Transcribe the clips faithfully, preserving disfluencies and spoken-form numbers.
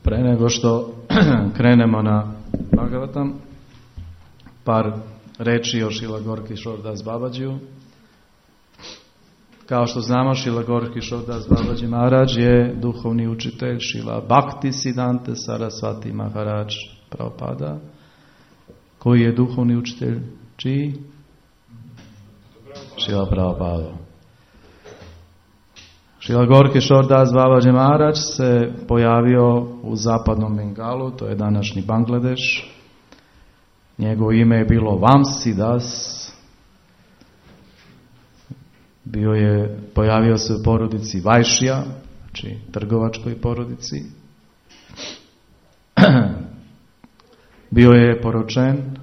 Pre nego što krenemo na Bhagavatam, par reči o Šrila Gaura Kishore Das Babađiju. Kao što znamo, Šrila Gaura Kishore Das Babađi Maharaj je duhovni učitelj Šrila Bhakti Siddhanta Sarasvati Maharaj Prabhupada, koji je duhovni učitelj čiji? Šrila Prabhupada. Šrila Gaura Kishore Das Babađi Maharaj se pojavio u zapadnom Bengalu, to je današnji Bangladeš. Njegovo ime je bilo Vamsi Das. Bio je, pojavio se u porodici Vajšija, znači trgovačkoj porodici. Bio je poročen,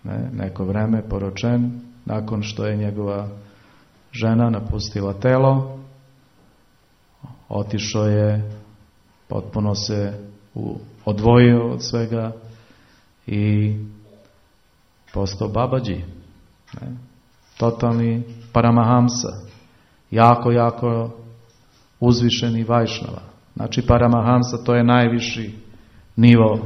ne, neko vreme poročen, nakon što je njegova žena napustila telo. Otišao je, potpuno se u, odvojio od svega i postao babađi. Ne? Totalni paramahamsa. Jako, jako uzvišeni vajšnava. Znači paramahamsa to je najviši nivo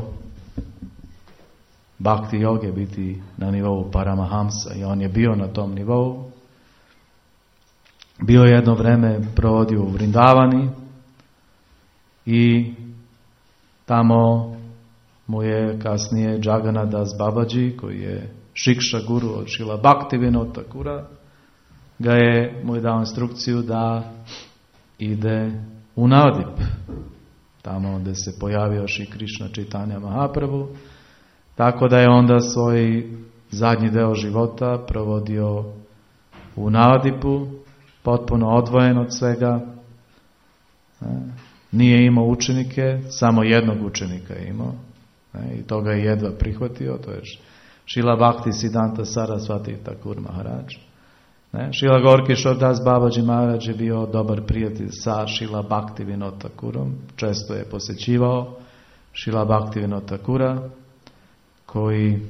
bhakti joge, biti na nivou paramahamsa. I on je bio na tom nivou. Bio jedno vreme provodio u Vrindavani i tamo mu je kasnije Jagannath Das Babađi, koji je Šikša guru od Šrila Bhaktivinoda Thakura, ga je mu je dao instrukciju da ide u Navadip, tamo gdje se pojavio Šri Krishna Chaitanya Mahaprabhu, tako da je onda svoj zadnji deo života provodio u Navadipu, potpuno odvojen od svega. Nije imao učenike, samo jednog učenika je imao i to ga je jedva prihvatio, to je Šrila Bhakti Siddhanta Sarasvati Thakur Maharaj. Šrila Gaura Kishore Das Babađi Maharaj je bio dobar prijatelj sa Šrila Bhaktivinoda Thakurom, često je posjećivao Šrila Bhaktivinoda Thakura, koji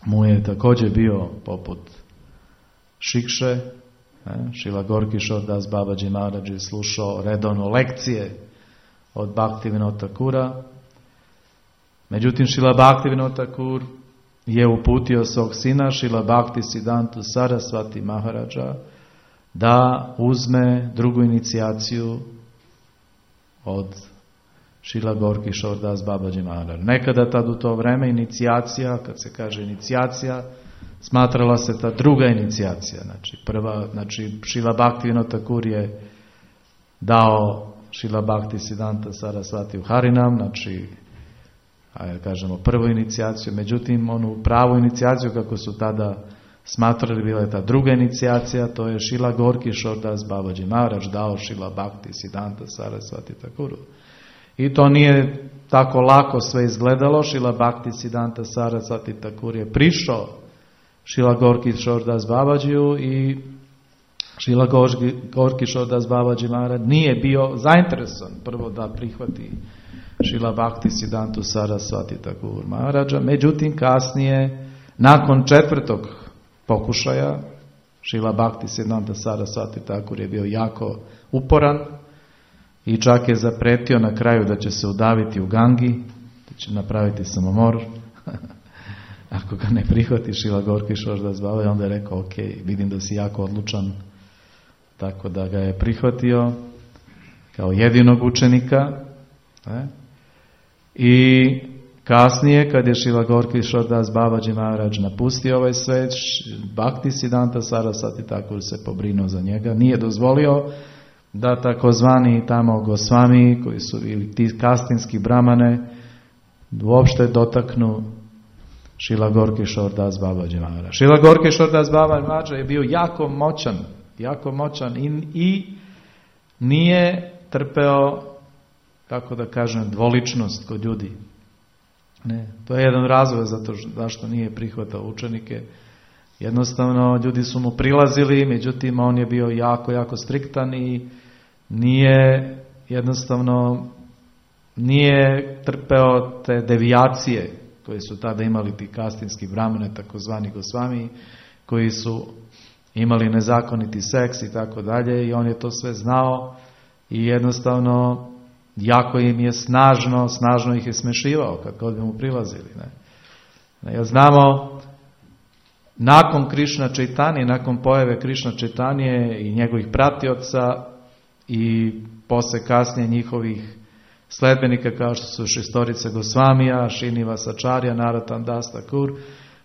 mu je također bio poput Šikše. Šrila Gaura Kishore Das Babađi Maharaj je slušao redovno lekcije od Bhaktivinoda Thakura. Međutim, Šrila Bhaktivinoda Thakur je uputio svog sina Šrila Bhakti Siddhantu Sarasvati Maharaja da uzme drugu inicijaciju od Šrila Gaura Kishore Das Babađi Maharaj. Nekada tad u to vreme inicijacija, kad se kaže inicijacija, smatrala se ta druga inicijacija. Znači, prva, znači Šrila Bhaktivinoda Thakur je dao Šrila Bhakti Siddhanta Sarasvati u Harinam, znači ajde kažemo prvu inicijaciju, međutim onu pravu inicijaciju kako su tada smatrali bila je ta druga inicijacija, to je Šrila Gaura Kishore Das Babađi Maharaj dao Šrila Bhakti Siddhanta Sarasvati Thakuru. I to nije tako lako sve izgledalo. Šrila Bhakti Siddhanta Sarasvati Thakur je prišao Šrila Gaura Kishore Das Babađiju i Šrila Gaura Kishore Das Babađi Maharaj nije bio zainteresovan prvo da prihvati Šrila Bhakti Siddhantu Sarasvati Thakur Maharaja. Međutim, kasnije, nakon četvrtog pokušaja, Šrila Bhakti Siddhanta Sarasvati Thakur je bio jako uporan i čak je zapretio na kraju da će se udaviti u Gangi, da će napraviti samomor. Ako ga ne prihvati Šrila Gaura Kishore Das Babađi, onda je rekao, ok, vidim da si jako odlučan, tako da ga je prihvatio kao jedinog učenika. Ne? I kasnije, kad je Šrila Gaura Kishore Das Babađi Maharaj napustio ovaj svet, Bhakti Siddhanta Sarasvati Thakur se pobrinuo za njega, nije dozvolio da takozvani tamo Gosvami, koji su ili ti kastinski brahmane, uopšte dotaknu Šrila Gaura Kishore Das Babađi Maharaj. Šrila Gaura Kishore Das Babađi Maharaj je bio jako moćan, jako moćan i, i nije trpeo, kako da kažem, dvoličnost kod ljudi. Ne, to je jedan razlog zato zašto nije prihvatao učenike. Jednostavno, ljudi su mu prilazili, međutim, on je bio jako, jako striktan i nije, jednostavno, nije trpeo te devijacije koje su tada imali ti kastinski brahmane, takozvani Gosvami, koji su imali nezakoniti seks i tako dalje, i on je to sve znao i jednostavno jako im je snažno, snažno ih je smešivao kad god bi mu prilazili. Ne? Ja znamo, nakon Krišna Čaitanije, nakon pojave Krišna Čaitanije i njegovih pratioca i posle kasnije njihovih sledbenika kao što su Šestorica Gosvamija, Srinivasacharya, Narottam Das Thakur,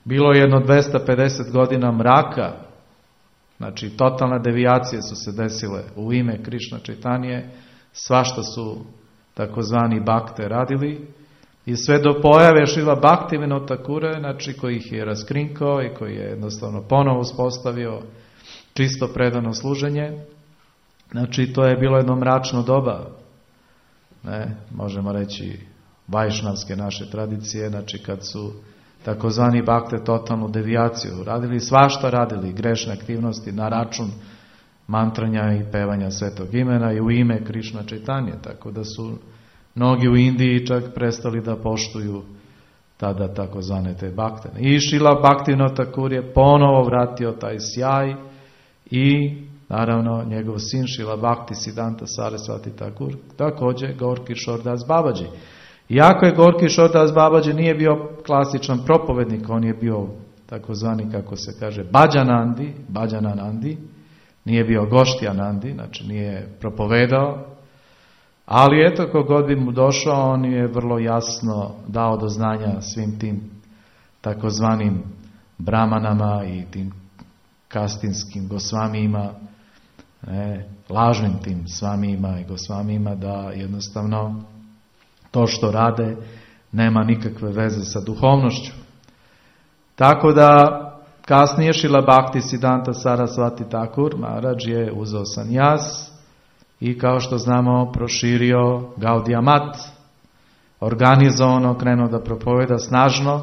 bilo je jedno dvesta pedeset godina mraka, znači totalne devijacije su se desile u ime Krišna Čaitanije, svašta su takozvani bakte radili i sve do pojave Šrila Bhaktivinoda Thakura, znači koji ih je raskrinkao i koji je jednostavno ponovo uspostavio čisto predano služenje. Znači to je bilo jedno mračno doba, ne, možemo reći vajšnavske naše tradicije, znači kad su takozvani bakte totalnu devijaciju radili, svašta radili, grešne aktivnosti na račun mantranja i pevanja svetog imena i u ime Krišna Čaitanije, tako da su mnogi u Indiji čak prestali da poštuju tada takozvane te bakte. I Šrila Bhaktivinoda Thakur je ponovo vratio taj sjaj i naravno njegov sin Šrila Bhakti Siddhanta Sarasvati Thakur, također Gaur Kishore Das Babaji. Iako je Gaur Kishore Das Babaji nije bio klasičan propovednik, on je bio takozvani, kako se kaže, Bhajanandi, Bhajananandi, nije bio Goštyanandi, znači nije propovedao, ali eto, kogod bi mu došao, on je vrlo jasno dao do znanja svim tim takozvanim brahmanama i tim kastinskim gosvamijima, ne, lažnim tim svamijima i gosvamijima, da jednostavno to što rade nema nikakve veze sa duhovnošću. Tako da kasnije Šrila Bhakti Siddhanta Sarasvati Thakur Maharaj je uzeo sanjas i kao što znamo proširio Gaudiya Mat, organizovano krenuo da propoveda snažno,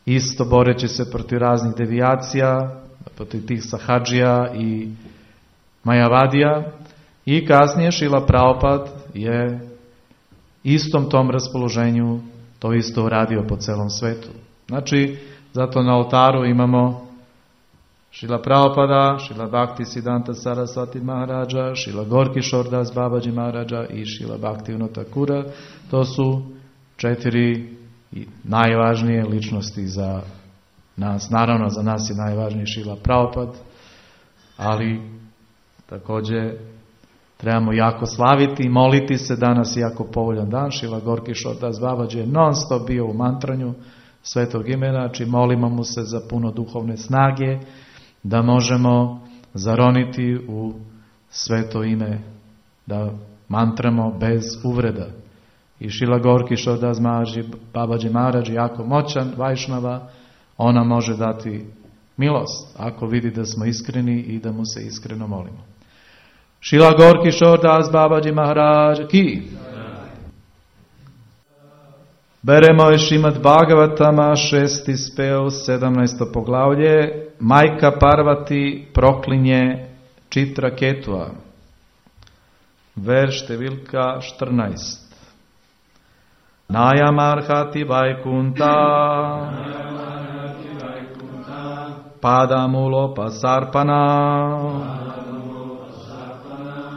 isto boreći se protiv raznih devijacija, protiv tih Sahadžija i Majavadija, i kasnije Šrila Prabhupada je istom tom raspoloženju to isto uradio po celom svetu. Znači, zato na oltaru imamo Šrila Prabhupada, Šrila Bhakti Siddhanta Sarasvati Maharaja, Šrila Gaur Kishore Das Babaji Maharaja i Šrila Bhaktivinoda Thakura. To su četiri najvažnije ličnosti za nas. Naravno, za nas je najvažniji Šrila Prabhupada, ali također trebamo jako slaviti i moliti se. Danas je jako povoljan dan. Šrila Gaur Kishore Das Babaji je non stop bio u mantranju svetog imena, znači molimo mu se za puno duhovne snage, da možemo zaroniti u sveto ime, da mantramo bez uvreda. I Šrila Gaur Kishore Das Babaji Maharaj jako moćan Vajšnava, ona može dati milost ako vidi da smo iskreni i da mu se iskreno molimo. Šrila Gaur Kishore Das Babaji Maharaj ki. Beremo je Šrimad Bhagavatama, šesti speo, sedamnaesto poglavlje. Majka Parvati proklinje Čitraketua. Verš številka štrnaest. Nayamarhati Vaikunta Padamulo Pasarpana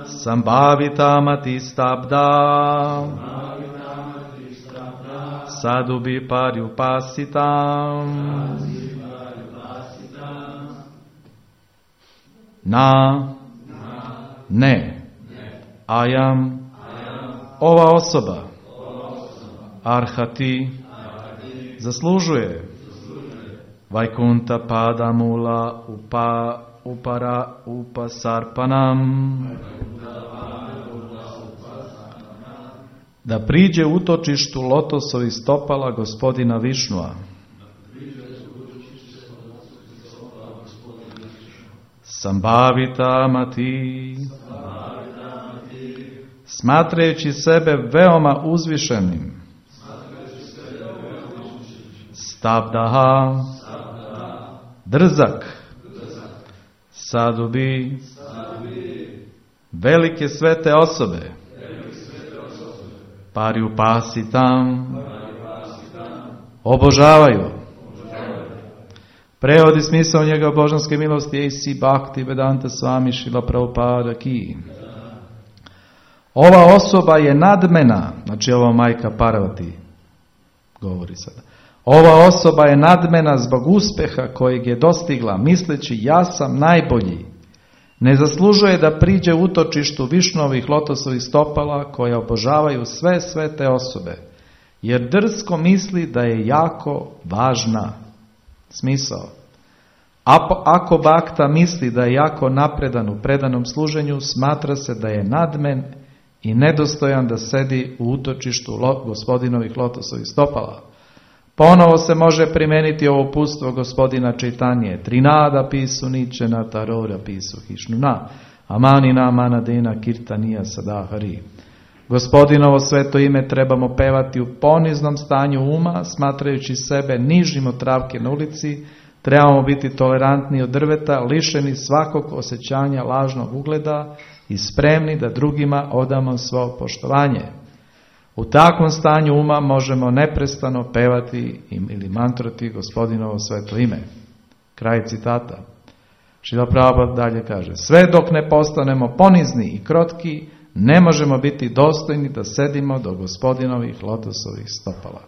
Sambhavita Matistabda Sadubi Paryupasitam Na Ne Ajam Ova osoba Arhati zaslužuje Vaikunta Padamula Upa Upara Upasarpanam, da priđe utočištu lotosovih stopala gospodina Višnua. Sambhavita Mati, smatrajući sebe veoma uzvišenim. Stabdaha, drzak. Sadubi, velike svete osobe. Paryupasitam, obožavaju. Prevodi smisao njega božanske milosti A C Bhakti Vedanta Swami Srila Prabhupada ki. Ova osoba je nadmena, znači ova majka Parvati govori sada. Ova osoba je nadmena zbog uspjeha kojeg je dostigla, misleći ja sam najbolji. Ne zaslužuje da priđe utočištu Višnovih lotosovih stopala koje obožavaju sve svete osobe, jer drsko misli da je jako važna. Smisao. Ako bakta misli da je jako napredan u predanom služenju, smatra se da je nadmen i nedostojan da sedi u utočištu gospodinovih lotosovih stopala. Ponovo se može primijeniti ovo uputstvo gospodina Čaitanije. Trinada pisu ničena tarora pisu hišnuna, amanina manadena kirtanija sadahari. Gospodinovo sveto ime trebamo pevati u poniznom stanju uma, smatrajući sebe nižim od travke na ulici. Trebamo biti tolerantni od drveta, lišeni svakog osjećanja lažnog ugleda i spremni da drugima odamo svo poštovanje. U takvom stanju uma možemo neprestano pevati ili mantrati gospodinovo sveto ime. Kraj citata. Šrila Prabhupada dalje kaže: sve dok ne postanemo ponizni i krotki, ne možemo biti dostojni da sedimo do gospodinovih lotosovih stopala.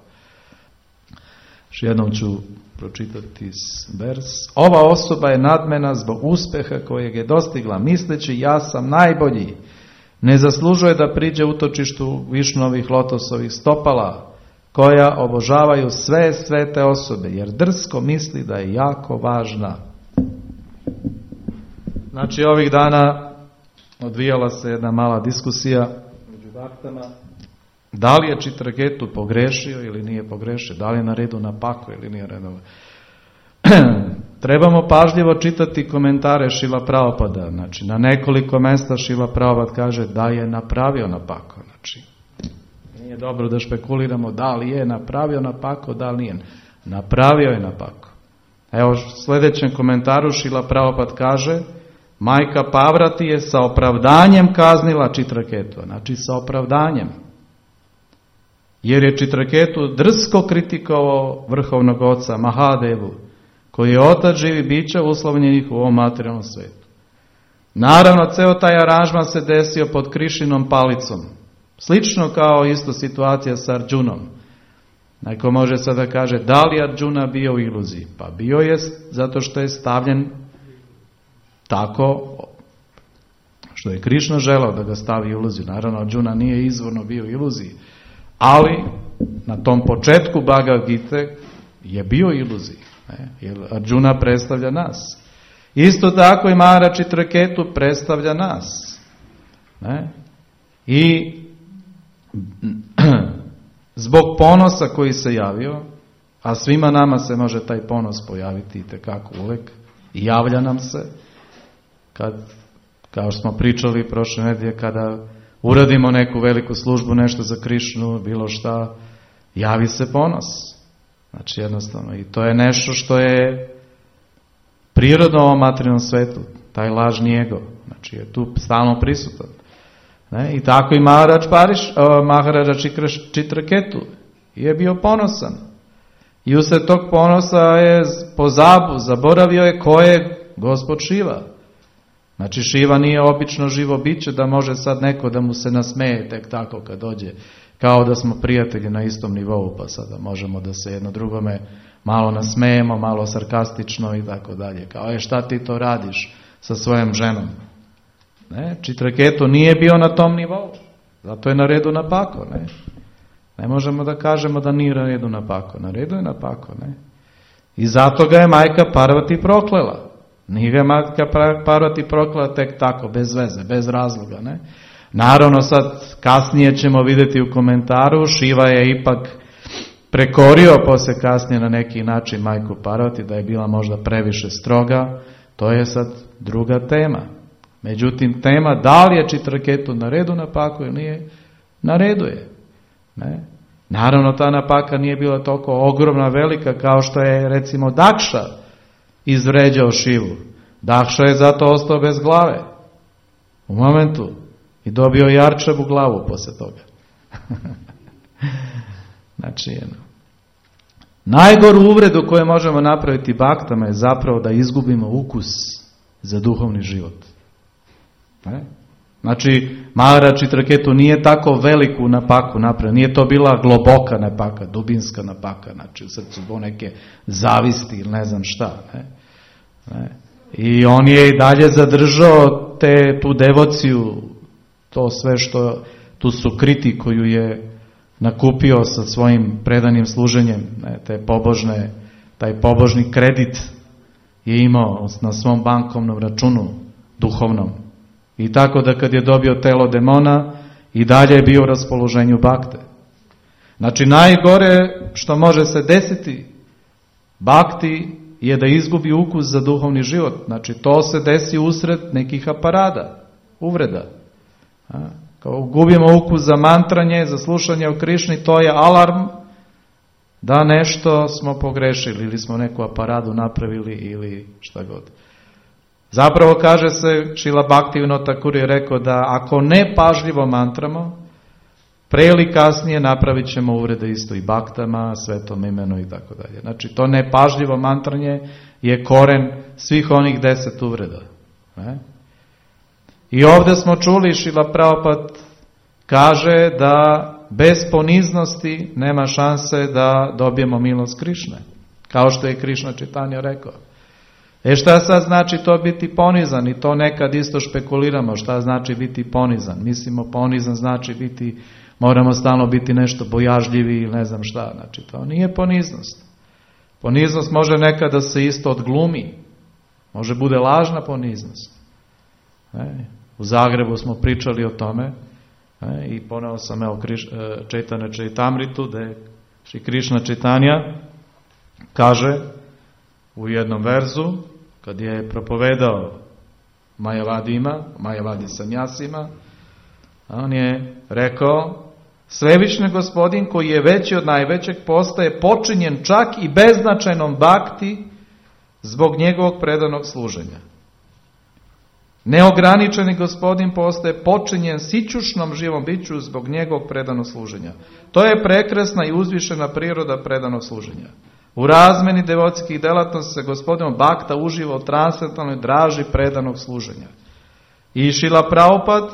Još jednom ću pročitati vers. Ova osoba je nadmena zbog uspjeha kojeg je dostigla, misleći ja sam najbolji. Ne zaslužuje da priđe utočištu Višnovih lotosovih stopala, koja obožavaju sve svete osobe, jer drsko misli da je jako važna. Znači, ovih dana odvijala se jedna mala diskusija među baktama. Da li je Čitraketu pogrešio ili nije pogrešio, da li je na redu na pako ili nije redu. Trebamo pažljivo čitati komentare Šrila Prabhupada. Znači, na nekoliko mjesta Šrila Prabhupada kaže da je napravio napako. Znači, nije dobro da špekuliramo da li je napravio napako, da li nije. Napravio je napako. Evo, u sljedećem komentaru Šrila Prabhupada kaže: majka Parvati je sa opravdanjem kaznila Čitraketu. Znači, sa opravdanjem. Jer je Čitraketu drsko kritikovao vrhovnog oca Mahadevu, koji je otac živi bića uslovljenih u ovom materijalnom svijetu. Naravno, ceo taj aranžman se desio pod Krišinom palicom. Slično kao isto situacija sa Arjunom. Neko može sada kaže, da li Arjuna bio u iluziji? Pa bio je zato što je stavljen tako što je Krišna želao da ga stavi u iluziju. Naravno, Arjuna nije izvorno bio u iluziji, ali na tom početku Bhagavad Gita je bio u iluziji. Ne? Jer Arjuna predstavlja nas. Isto tako i Maharaja Čitraketu predstavlja nas. Ne? I zbog ponosa koji se javio, a svima nama se može taj ponos pojaviti itekako uvek, i javlja nam se, kad, kao što smo pričali prošle nedelje, kada uradimo neku veliku službu, nešto za Krišnu, bilo šta, javi se ponos. Znači jednostavno, i to je nešto što je prirodno u ovom materijalnom svetu, taj lažni ego, znači je tu stalno prisutan. Ne? I tako i Maharaja Pariš, Maharaja Čitraketu je bio ponosan. I usred tog ponosa je pozabu, zaboravio je ko je Gospod Šiva. Znači Šiva nije obično živo biće da može sad neko da mu se nasmeje tek tako kad dođe, kao da smo prijatelji na istom nivou, pa sada možemo da se jedno drugome malo nasmejemo, malo sarkastično i tako dalje. Kao je, šta ti to radiš sa svojom ženom? Ne, Čitraketu nije bio na tom nivou, zato je na redu na pako. Ne, ne možemo da kažemo da nije na redu na pako, na redu je na pako. Ne? I zato ga je majka Parvati proklela. Nije ga majka Parvati proklela tek tako, bez veze, bez razloga. Ne? Naravno sad kasnije ćemo vidjeti u komentaru, Šiva je ipak prekorio posle kasnije na neki način majku Parvati, da je bila možda previše stroga, to je sad druga tema. Međutim, tema da li je Čitraketu na redu napako ili nije, na redu je. Ne? Naravno, ta napaka nije bila toliko ogromna, velika kao što je recimo Dakša izvređao Šivu. Dakša je zato ostao bez glave u momentu i dobio jarčevu glavu posle toga. Znači, jedno. Najgoru uvredu koju možemo napraviti baktama je zapravo da izgubimo ukus za duhovni život. Ne? Znači, Maharaja Chitraketu nije tako veliku napaku napravio, nije to bila globoka napaka, dubinska napaka, znači u srcu bo neke zavisti ili ne znam šta. Ne? Ne? I on je i dalje zadržao te, tu devociju, to sve što, tu sukriti koju je nakupio sa svojim predanim služenjem, ne? Te pobožne, taj pobožni kredit je imao na svom bankovnom računu, duhovnom. I tako da kad je dobio telo demona, i dalje je bio u raspoloženju bakte. Znači, najgore što može se desiti bakti je da izgubi ukus za duhovni život. Znači, to se desi usred nekih aparada, uvreda. A? Kao gubimo ukus za mantranje, za slušanje o Krišni, to je alarm da nešto smo pogrešili ili smo neku aparadu napravili ili šta god. Zapravo kaže se, Šrila Bhaktivinoda Thakur je rekao da ako ne pažljivo mantramo, pre ili kasnije napravit ćemo uvrede isto i baktama, svetom imenu i tako dalje. Znači to nepažljivo mantranje je koren svih onih deset uvreda. Ne? I ovdje smo čuli, Šrila Prabhupada kaže da bez poniznosti nema šanse da dobijemo milost Krišne. Kao što je Krišna Čitanja rekao. E šta sad znači to biti ponizan? I to nekad isto špekuliramo šta znači biti ponizan. Mislimo ponizan znači biti, moramo stalno biti nešto bojažljivi ili ne znam šta. Znači to nije poniznost. Poniznost može nekad da se isto odglumi. Može bude lažna poniznost. E, u Zagrebu smo pričali o tome e, i poneo sam evo Kriš, Čaitanya Čaitamritu da je Šri Krišna Čaitanja kaže u jednom verzu kad je propovedao Majavadima, Majavadi sanjasima, on je rekao Svevišnji Gospodin koji je veći od najvećeg postaje počinjen čak i beznačajnom bakti zbog njegovog predanog služenja. Neograničeni Gospodin postaje počinjen sićušnom živom biću zbog njegovog predanog služenja. To je prekrasna i uzvišena priroda predanog služenja. U razmeni devotskih delatnosti se Gospodinom bakta uživa u transcendentalnoj draži predanog služenja. I Šrila Prabhupada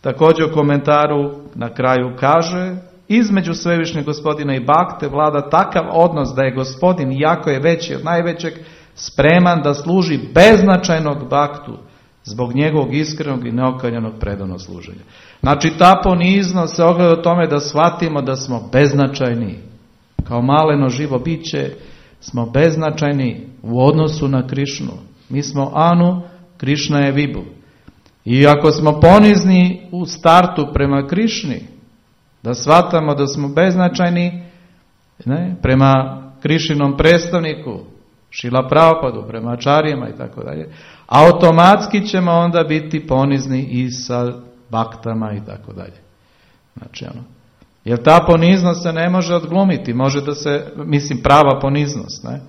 također u komentaru na kraju kaže između Svevišnjeg Gospodina i bakte vlada takav odnos da je Gospodin, iako je veći od najvećeg, spreman da služi beznačajnog baktu zbog njegovog iskrenog i neokaljanog predanog služenja. Znači ta poniznost se ogleda u tome da shvatimo da smo beznačajni. Kao maleno živo biće smo beznačajni u odnosu na Krišnu. Mi smo Anu, Krišna je Vibhu. I ako smo ponizni u startu prema Krišni, da shvatamo da smo beznačajni ne, prema Krišinom predstavniku, Šrila Prabhupadu, prema ačarijama i tako dalje, automatski ćemo onda biti ponizni i sa baktama i tako dalje. Znači ono. Jer ta poniznost se ne može odglumiti, može da se, mislim prava poniznost, ne?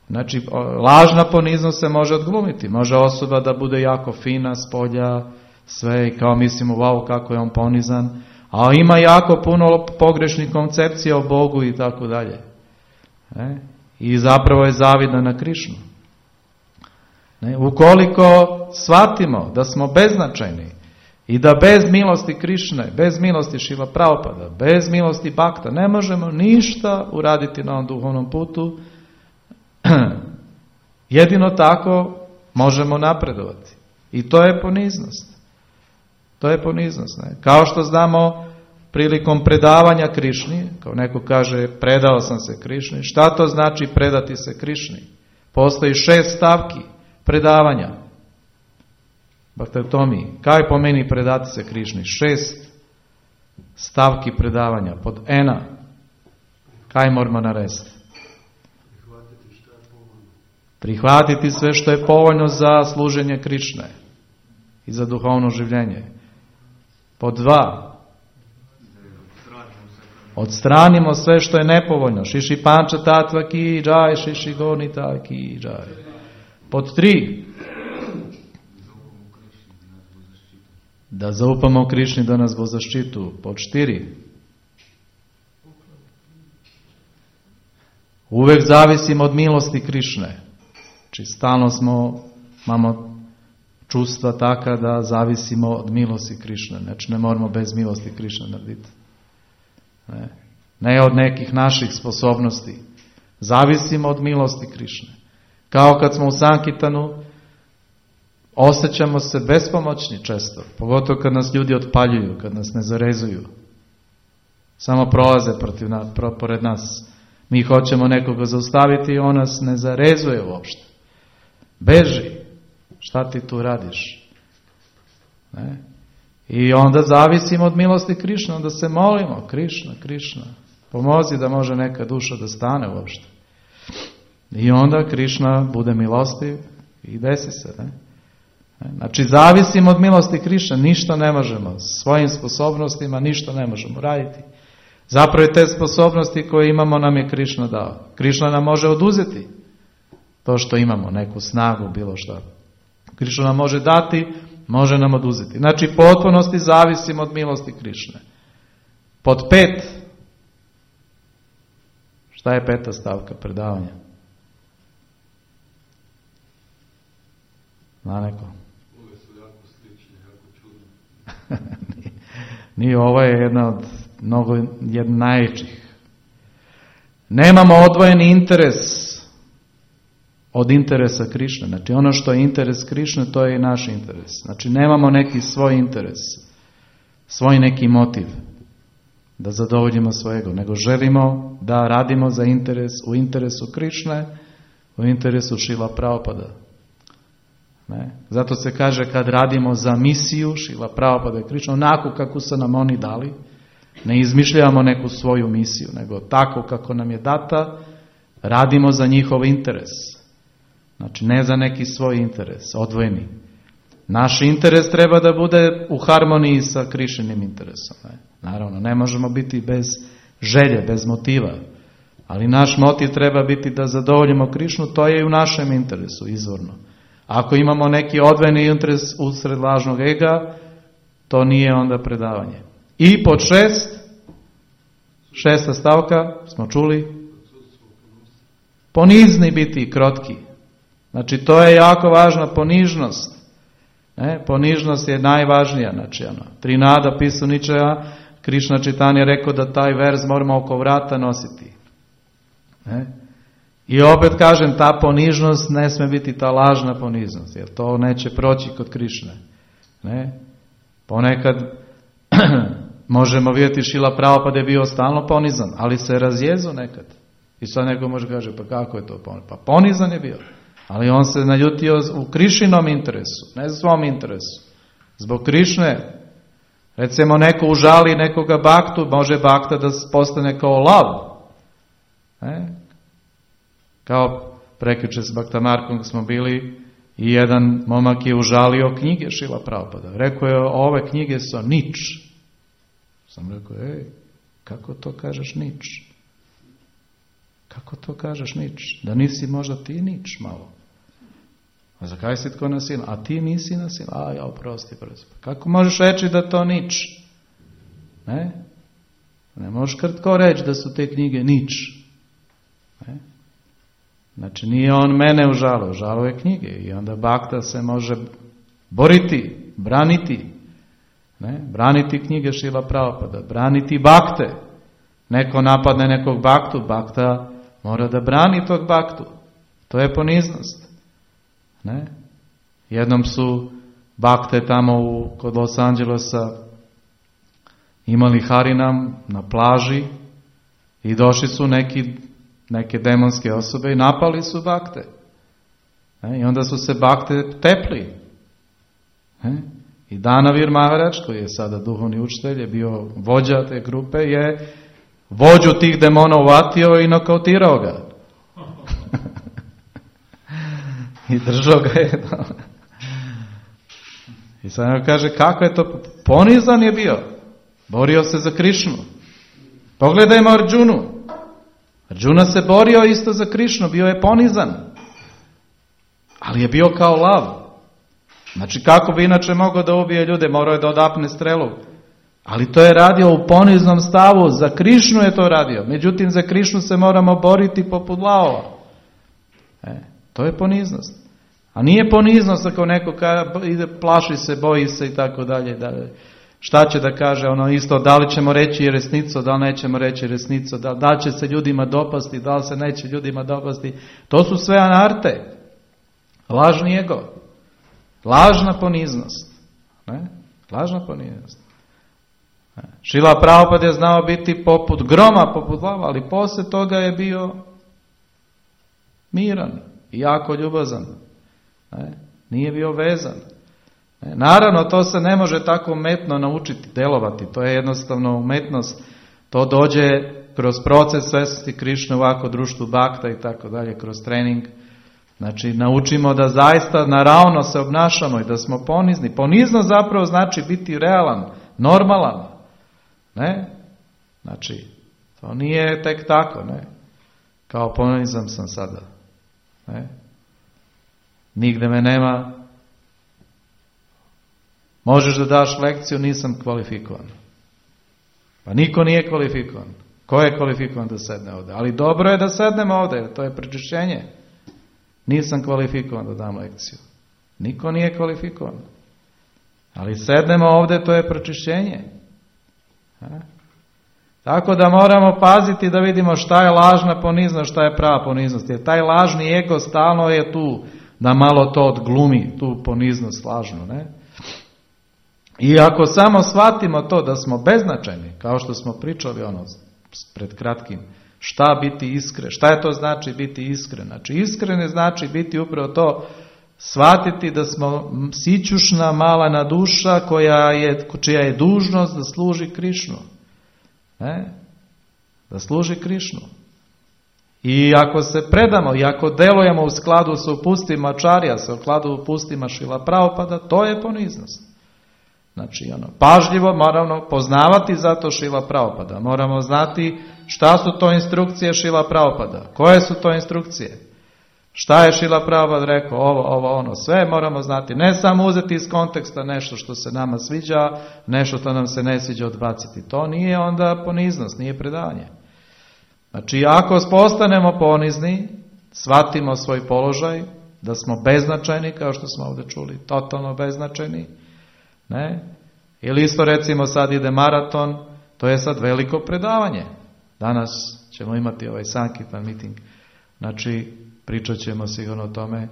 Znači lažna poniznost se može odglumiti, može osoba da bude jako fina s polja, sve i kao mislimo wow kako je on ponizan, a ima jako puno pogrešnih koncepcija o Bogu i tako dalje. Ne? I zapravo je zavidan na Krišnu. Ne? Ukoliko shvatimo da smo beznačajni, i da bez milosti Krišne, bez milosti Šrila Prabhupada, bez milosti Bakta ne možemo ništa uraditi na ovom duhovnom putu. Jedino tako možemo napredovati. I to je poniznost. To je poniznost. Ne? Kao što znamo prilikom predavanja Krišni, kao neko kaže predao sam se Krišni, šta to znači predati se Krišni? Postoji šest stavki predavanja. Bhaktotomi, kaj pomeni predati se Krišni? Šest stavki predavanja. Pod ena, kaj moramo narediti? Prihvatiti što je povoljno. Prihvatiti sve što je povoljno za služenje Krišne i za duhovno življenje. Pod dva, odstranimo sve što je nepovoljno. Šiši panča tatva ki džaj, šiši gonita ki džaj. Pod tri, da zaupamo Krišni da nas bo zaštitu. Pod štiri, uvek zavisimo od milosti Krišne. Či stalno smo, imamo čustva taka da zavisimo od milosti Krišne. Znači ne moramo bez milosti Krišne narediti. Ne. ne od nekih naših sposobnosti. Zavisimo od milosti Krišne. Kao kad smo u Sankirtanu, osjećamo se bespomoćni često. Pogotovo kad nas ljudi otpaljuju, kad nas ne zarezuju. Samo prolaze protiv nas, pro, pored nas. Mi hoćemo nekoga zaustaviti i on nas ne zarezuje uopšte. Beži. Šta ti tu radiš? Ne? I onda zavisimo od milosti Krišne, onda se molimo, Krišna, Krišna, pomozi da može neka duša da stane uopšte. I onda Krišna bude milostiv i desi se. Ne? Znači zavisimo od milosti Krišne, ništa ne možemo, svojim sposobnostima ništa ne možemo raditi. Zapravo te sposobnosti koje imamo nam je Krišna dao. Krišna nam može oduzeti to što imamo, neku snagu, bilo što. Krišna nam može dati, može nam oduzeti. Znači potpunosti zavisimo od milosti Krišne. Pod pet. Šta je peta stavka predavanja? Zna neko? Ove su jako slične, jako čudne. nije, nije, ovo je jedna od mnogo jedna najvećih. Nemamo odvojeni interes od interesa Krišne. Znači ono što je interes Krišne, to je i naš interes. Znači nemamo neki svoj interes, svoj neki motiv da zadovoljimo svojego, nego želimo da radimo za interes, u interesu Krišne, u interesu Šrila Prabhupada. Ne? Zato se kaže kad radimo za misiju Šrila Prabhupada i Krišne, onako kako su nam oni dali, ne izmišljamo neku svoju misiju, nego tako kako nam je data, radimo za njihov interes. Znači ne za neki svoj interes, odvojeni. Naš interes treba da bude u harmoniji sa Krišnim interesom. Ne? Naravno, ne možemo biti bez želje, bez motiva. Ali naš motiv treba biti da zadovoljimo Krišnu, to je i u našem interesu, izvorno. Ako imamo neki odvojeni interes usred lažnog ega, to nije onda predavanje. I pod šest, šesta stavka, smo čuli, ponizni biti, krotki. Znači to je jako važna ponižnost. Ne? Ponižnost je najvažnija. Znači, ono, Trinada Pisu Ničaja, Krišna Čitanja je rekao da taj verz moramo oko vrata nositi. Ne? I opet kažem, ta ponižnost ne sme biti ta lažna poniznost, jer to neće proći kod Krišne. Ne? Ponekad možemo vidjeti Šrila Prabhupada je bio stalno ponizan, ali se razjezo nekad. I sad neko može kaže, pa kako je to ponizan? Pa ponizan je bio, ali on se naljutio u Krišinom interesu, ne svom interesu. Zbog Krišne, recimo neko užali nekoga baktu, može bakta da postane kao lav. Ne? Kao prekjuče s Baktamarkom smo bili i jedan momak je užalio knjige Šrila Prabhupada. Rekao je, ove knjige su nič. Sam rekao, ej, kako to kažeš nič? Kako to kažeš nič? Da nisi možda ti nič malo. A zakaj si tko nasilno? A ti nisi nasilno? A ja, oprosti, prosti. Kako možeš reći da to nič? Ne? Ne možeš krtko reći da su te knjige nič. Ne? Znači nije on mene užalio, užalio je knjige. I onda bakta se može boriti, braniti. Ne? Braniti knjige Šrila Prabhupada, braniti bakte. Neko napadne nekog baktu, bakta mora da brani tog baktu. To je poniznost. Ne? Jednom su bakte tamo u, kod Los Angelesa imali harinam na plaži i došli su neki, neke demonske osobe i napali su bakte. Ne? I onda su se bakte tepli. Ne? I Danavir Maharaj, koji je sada duhovni učitelj, je bio vođa te grupe, je vođu tih demona uvatio i nokautirao ga. I držao ga je. I sad nam kaže, kako je to? Ponizan je bio. Borio se za Krišnu. Pogledajmo Arđunu. Arđuna se borio isto za Krišnu, bio je ponizan. Ali je bio kao lav. Znači kako bi inače mogao da ubije ljude, morao je da odapne strelu. Ali to je radio u poniznom stavu, za Krišnu je to radio. Međutim, za Krišnu se moramo boriti poput lavova. E, to je poniznost. A nije poniznost ako neko ka, ide, plaši se, boji se i tako dalje. Šta će da kaže ono isto, da li ćemo reći resnicu, da li nećemo reći resnicu, da, da li će se ljudima dopasti, da li se neće ljudima dopasti. To su sve anarte. Lažni ego. Lažna poniznost. Ne? Lažna poniznost. Šrila Prabhupada je znao biti poput groma, poput lava, ali poslije toga je bio miran i jako ljubazan. Ne? Nije bio vezan. Ne? Naravno, to se ne može tako umetno naučiti, delovati. To je jednostavno umetnost. To dođe kroz proces svesnosti Krišne, ovako društvu Bhakta i tako dalje, kroz trening. Znači, naučimo da zaista naravno se obnašamo i da smo ponizni. Ponizno zapravo znači biti realan, normalan. Ne? Znači, to nije tek tako, ne? Kao ponizan sam sada. Ne? Nigde me nema. Možeš da daš lekciju, nisam kvalifikovan. Pa niko nije kvalifikovan. Ko je kvalifikovan da sedne ovdje? Ali dobro je da sednemo ovdje, jer to je prečišćenje. Nisam kvalifikovan da dam lekciju. Niko nije kvalifikovan. Ali sednemo ovdje, to je pročišćenje. Ha? Tako da moramo paziti da vidimo šta je lažna poniznost, šta je prava poniznost. Jer taj lažni ego stalno je tu da malo to odglumi, tu poniznost lažnu. Ne? I ako samo shvatimo to da smo beznačajni, kao što smo pričali ono pred kratkim, šta biti iskren, šta je to znači biti iskren? Znači iskren je znači biti upravo to, shvatiti da smo sićušna malana duša koja je, čija je dužnost da služi Krišnu. Ne? Da služi Krišnu. I ako se predamo i ako delujemo u skladu sa upustima Ačarija, sa skladu upustima Šrila Prabhupada, to je poniznost. Znači, ono, pažljivo moramo poznavati zato Šrila Prabhupada. Moramo znati šta su to instrukcije Šrila Prabhupada. Koje su to instrukcije? Šta je Šrila Prabhupada rekao? Ovo, ovo, ono. Sve moramo znati. Ne samo uzeti iz konteksta nešto što se nama sviđa, nešto što nam se ne sviđa odbaciti. To nije onda poniznost, nije predavanje. Znači, ako postanemo ponizni, shvatimo svoj položaj, da smo beznačajni, kao što smo ovdje čuli, totalno beznačajni, ne? Ili isto recimo sad ide maraton, to je sad veliko predavanje. Danas ćemo imati ovaj Sankirtan meeting. Znači, pričat ćemo sigurno o tome.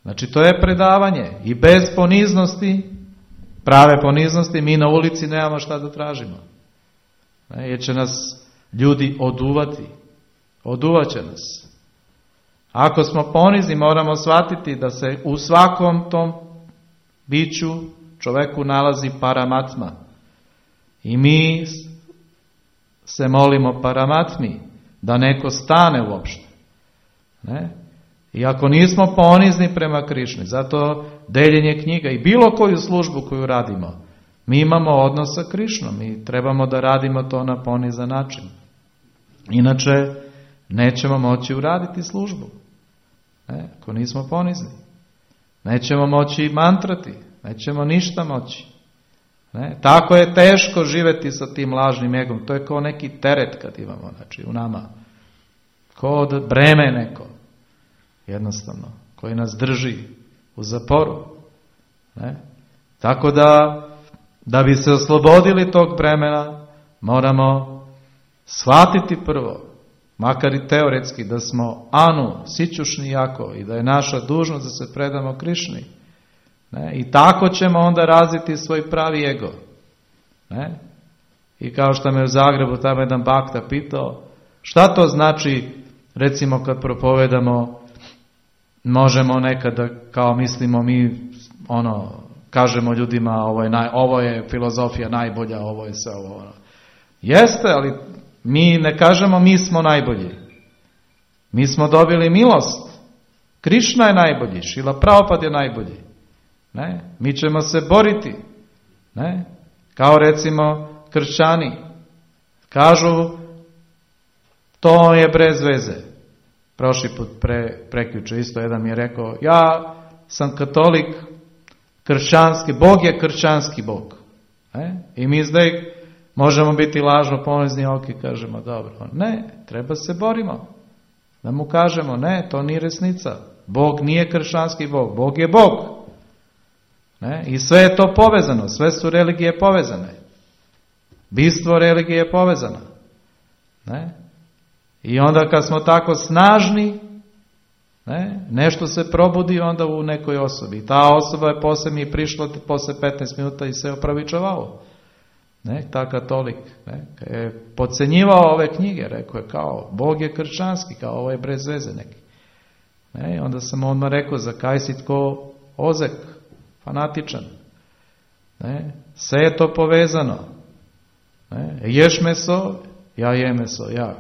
Znači, to je predavanje. I bez poniznosti, prave poniznosti, mi na ulici nemamo šta da tražimo. Ne? Jer će nas ljudi oduvati. Oduvat će nas. Ako smo ponizni, moramo shvatiti da se u svakom tom biću čoveku nalazi paramatma. I mi se molimo paramatmi da neko stane uopšte. Ne? I ako nismo ponizni prema Krišni, zato deljenje knjiga i bilo koju službu koju radimo, mi imamo odnos sa Krišnom i trebamo da radimo to na ponizan način. Inače, nećemo moći uraditi službu. Ne? Ako nismo ponizni. Nećemo moći mantrati. Nećemo ništa moći. Ne? Tako je teško živjeti sa tim lažnim egom. To je kao neki teret kad imamo, znači, u nama. Kao da breme neko. Jednostavno. Koji nas drži u zaporu. Ne? Tako da, da bi se oslobodili tog bremena, moramo shvatiti prvo, makar i teoretski, da smo anu, sićušni jako i da je naša dužnost da se predamo Krišni. Ne? I tako ćemo onda razviti svoj pravi ego. Ne? I kao što me u Zagrebu tamo jedan bakta pitao, šta to znači, recimo kad propovedamo, možemo nekada, kao mislimo mi, ono, kažemo ljudima, ovo je, naj, ovo je filozofija najbolja, ovo je sve ovo. Ono. Jeste, ali mi ne kažemo mi smo najbolji. Mi smo dobili milost. Krišna je najbolji, Šrila Prabhupada je najbolji. Ne? Mi ćemo se boriti. Ne? Kao recimo kršćani. Kažu, to je bez veze. Prošli put pre, prekjuče isto jedan mi je rekao, ja sam katolik, kršćanski, Bog je kršćanski Bog. Ne? I mi zdaj možemo biti lažno ponizni, ok, kažemo dobro. Ne, treba se borimo. Da mu kažemo, ne, to nije resnica. Bog nije kršćanski Bog, Bog je Bog. Ne? I sve je to povezano, sve su religije povezane. Bistvo religije je povezano. Ne? I onda kad smo tako snažni, ne, nešto se probudi onda u nekoj osobi. Ta osoba je posle mi prišla posle petnaest minuta i se opravičavao. Ne, ta katolik, ne, je podcenjivao ove knjige, rekao je kao, Bog je kršćanski, kao ovo je brez veze neki. Ne, i onda sam odmah rekao, za kaj si tko ozek, fanatičan. Ne, sve je to povezano. Ne, ješ meso, ja jem meso, ja.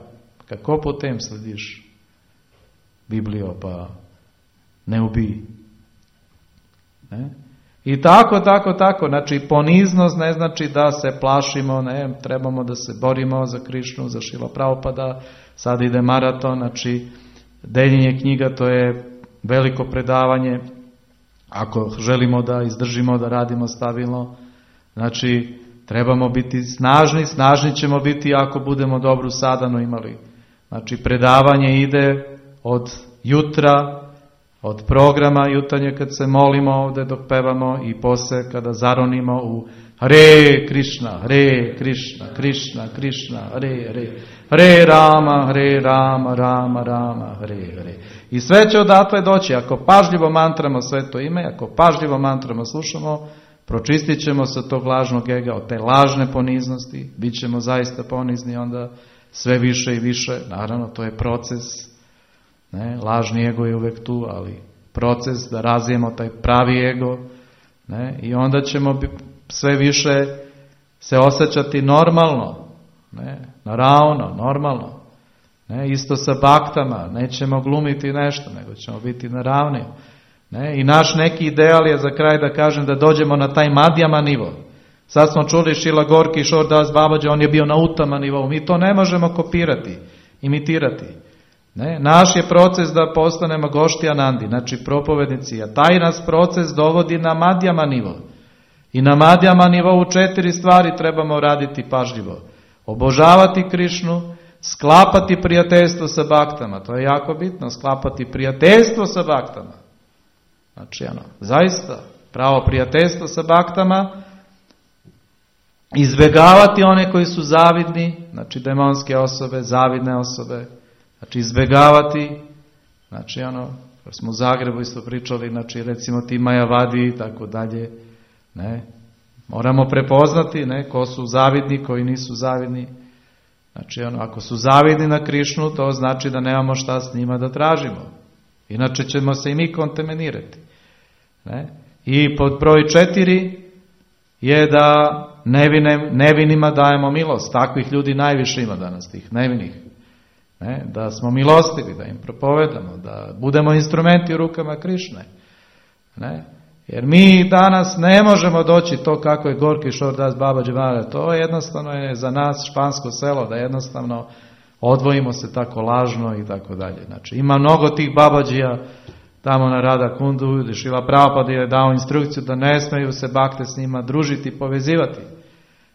Kako potem slediš Biblijo, pa ne ubij. Ne? I tako, tako, tako. Znači, poniznost ne znači da se plašimo, ne, trebamo da se borimo za Krišnu, za Šrila Prabhupada, sad ide maraton, znači, deljenje knjiga, to je veliko predavanje, ako želimo da izdržimo, da radimo stabilno, znači, trebamo biti snažni, snažni ćemo biti ako budemo dobru sadanu imali. Znači, predavanje ide od jutra, od programa jutarnje kad se molimo ovdje dok pevamo i posle kada zaronimo u Hare Krišna, Hare Krišna, Krišna, Krišna, Hare, Hare, Hare Rama, Hare Rama, Rama, Rama, Hare, Hare. I sve će odatle doći. Ako pažljivo mantramo sve to ime, ako pažljivo mantramo slušamo, pročistit ćemo se tog lažnog ega, od te lažne poniznosti, bit ćemo zaista ponizni onda sve više i više. Naravno, to je proces. Ne, lažni ego je uvek tu, ali proces da razvijemo taj pravi ego, ne, i onda ćemo sve više se osjećati normalno, ne, naravno, normalno. Ne, isto sa baktama, nećemo glumiti nešto, nego ćemo biti naravni. Ne, i naš neki ideal je za kraj da kažem da dođemo na taj madjama nivo. Sad smo čuli Šrila Gorki Kishore Das Babaji, on je bio na utama nivou. Mi to ne možemo kopirati, imitirati. Ne, naš je proces da postanemo gošti Anandi, znači propovednici, a taj nas proces dovodi na madjama nivo. I na madjama nivou četiri stvari trebamo raditi pažljivo. Obožavati Krišnu, sklapati prijateljstvo sa baktama, to je jako bitno, sklapati prijateljstvo sa baktama. Znači, ono, zaista, pravo prijateljstvo sa baktama, izbjegavati one koji su zavidni, znači demonske osobe, zavidne osobe, znači izbjegavati, znači ono, kad smo u Zagrebu isto pričali, znači recimo ti Majavadi i tako dalje, ne, moramo prepoznati, ne, ko su zavidni, koji nisu zavidni, znači ono, ako su zavidni na Krišnu, to znači da nemamo šta s njima da tražimo, inače ćemo se i mi kontaminirati, ne, i pod broj četiri je da nevine, nevinima dajemo milost, takvih ljudi najviše ima danas, tih nevinih. Ne, da smo milostivi, da im propovedamo, da budemo instrumenti u rukama Krišne. Ne, jer mi danas ne možemo doći to kako je Gorki Kishore Das Babaji Maharaj. To jednostavno je za nas špansko selo, da jednostavno odvojimo se tako lažno i tako dalje. Znači, ima mnogo tih Babadžija tamo na Rada Kundu, gdje Šrila Prabhupada je dao instrukciju da ne smeju se bakte s njima družiti i povezivati.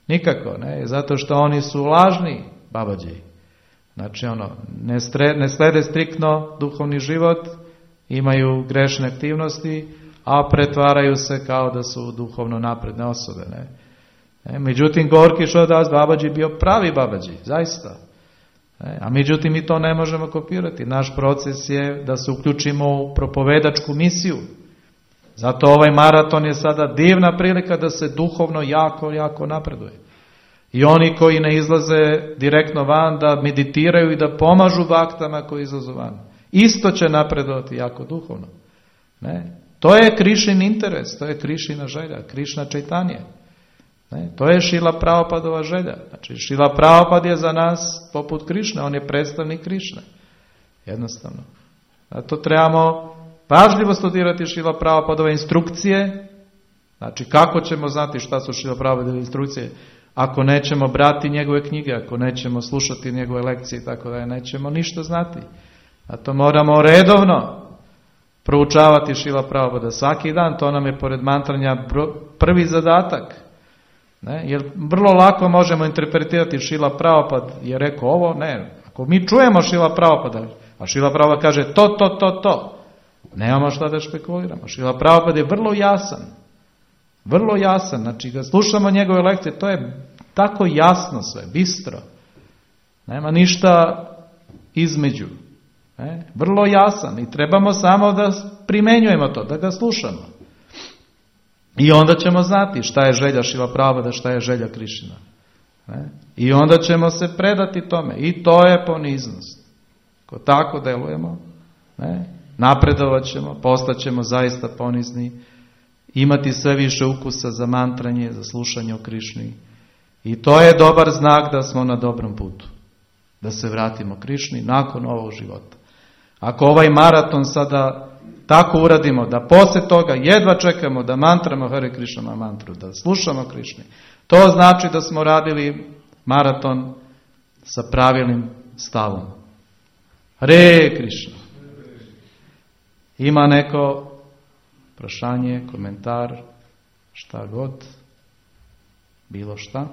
Nikako, ne, zato što oni su lažni Babadžiji. Znači, ono, ne, stre, ne slede striktno duhovni život, imaju grešne aktivnosti, a pretvaraju se kao da su duhovno napredne osobe. Ne? E, međutim, Gorki Kishore Das Babaji bio pravi Babaji, zaista. E, a međutim, mi to ne možemo kopirati. Naš proces je da se uključimo u propovedačku misiju. Zato ovaj maraton je sada divna prilika da se duhovno jako, jako napreduje. I oni koji ne izlaze direktno van, da meditiraju i da pomažu baktama koji izlazu van. Isto će napredovati jako duhovno. Ne? To je Krišin interes, to je Krišina želja, Krišna Čajtanje. Ne? To je Šrila Prabhupadova želja. Znači, Šrila Prabhupada je za nas poput Krišne, on je predstavnik Krišne. Jednostavno. Zato trebamo pažljivo studirati Šrila Prabhupadove instrukcije. Znači, kako ćemo znati šta su Šrila Prabhupadove instrukcije? Ako nećemo brati njegove knjige, ako nećemo slušati njegove lekcije i tako da nećemo ništa znati. A to moramo redovno proučavati Šrila Prabhupada svaki dan, to nam je pored mantranja prvi zadatak. Ne? Jer vrlo lako možemo interpretirati Šrila Prabhupada je rekao ovo, ne. Ako mi čujemo Šrila Prabhupada, A Šrila Prabhupada kaže to, to, to, to. Nemamo šta da špekuliramo. Šrila Prabhupada je vrlo jasan. Vrlo jasan. Znači, kad slušamo njegove lekcije, to je tako jasno sve, bistro. Nema ništa između. Ne? Vrlo jasan. I trebamo samo da primenjujemo to, da ga slušamo. I onda ćemo znati šta je želja Šrila Prabhupada, šta je želja Krišna. Ne? I onda ćemo se predati tome. I to je poniznost. Ko tako delujemo, ne? Napredovat ćemo, postaćemo zaista ponizni, imati sve više ukusa za mantranje, za slušanje o Krišni. I to je dobar znak da smo na dobrom putu. Da se vratimo Krišni nakon ovog života. Ako ovaj maraton sada tako uradimo, da poslije toga jedva čekamo da mantramo Hare Krišna mantru, da slušamo Krišni, to znači da smo radili maraton sa pravilnim stavom. Hare Krišna. Ima neko prašanje, komentar, šta god, bilo šta?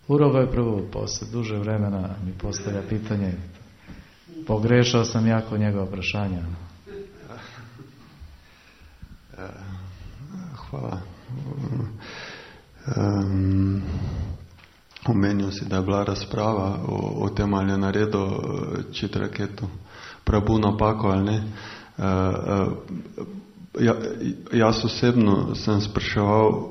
Urovo je prvo, posle duže vremena mi postavlja pitanje. Pogrešao sam jako njegova prašanja. Hvala. Um, omenil si, da je bila razprava o, o tem, ali je naredil Čitraketu Prabhu napako ali ne. Uh, uh, ja, jaz osebno sem spraševal,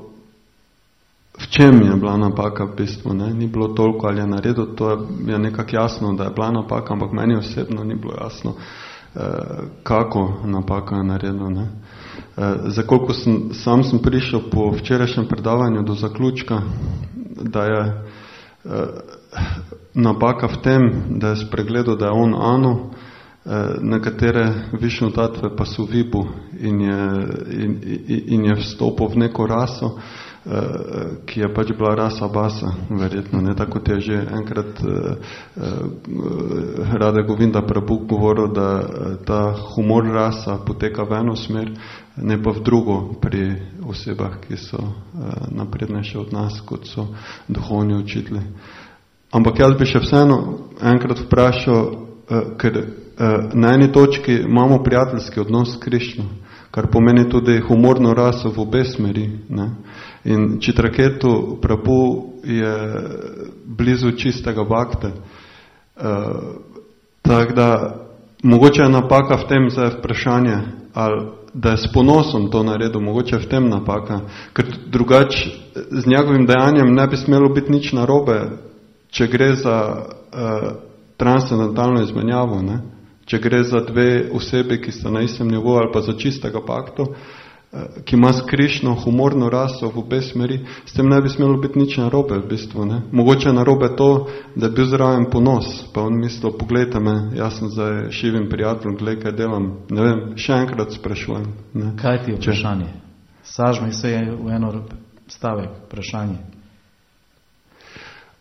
v čem je bila napaka v bistvu. Ne? Ni bilo toliko, ali je naredil, to je, je nekako jasno, da je bila napaka, ampak meni osebno ni bilo jasno, uh, kako napaka je naredil. Ne? Uh, za koliko sem, sam sem prišel po včerajšnjem predavanju do zaključka, da je uh, napaka v tem, da je spregledal, da je on Anu, nekatere Višnu tatve pa so Vibu in je, in, in je vstopil v neko raso, ki je pač bila rasa Basa, verjetno, ne, tako kot je že enkrat Rada Govinda Prabhu govoril, da ta humor rasa poteka v eno smer, ne pa v drugo pri osebah, ki so naprednejše od nas, kot so duhovni učitelji. Ampak jaz bi še vseeno enkrat vprašal, ker na eni točki imamo prijateljski odnos s Krišno, kar pomeni tudi humorno raso v obe smeri. Ne? In Čitraketu Prabhu je blizu čistega bakte. Uh, tako da mogoče je napaka v tem, za vprašanje, ali da je s ponosom to naredil, mogoče je v tem napaka, ker drugače z njegovim dejanjem ne bi smelo biti nič narobe, če gre za uh, transcendentalno izmenjavo, ne? Če gre za dve osebi, ki sta na istem nivoju, ali pa za čistega paktu, ki ima s Krišno humorno raso v obe smeri, s tem ne bi smelo biti nič narobe v bistvu. Ne? Mogoče je narobe to, da je bil zraven ponos, pa on mislil, pogledajte me, jaz sem zdaj šivim prijateljem, gledaj, kaj delam. Ne vem, še enkrat sprašujem. Ne? Kaj ti je vprašanje? Sažmi se v eno stavek, vprašanje.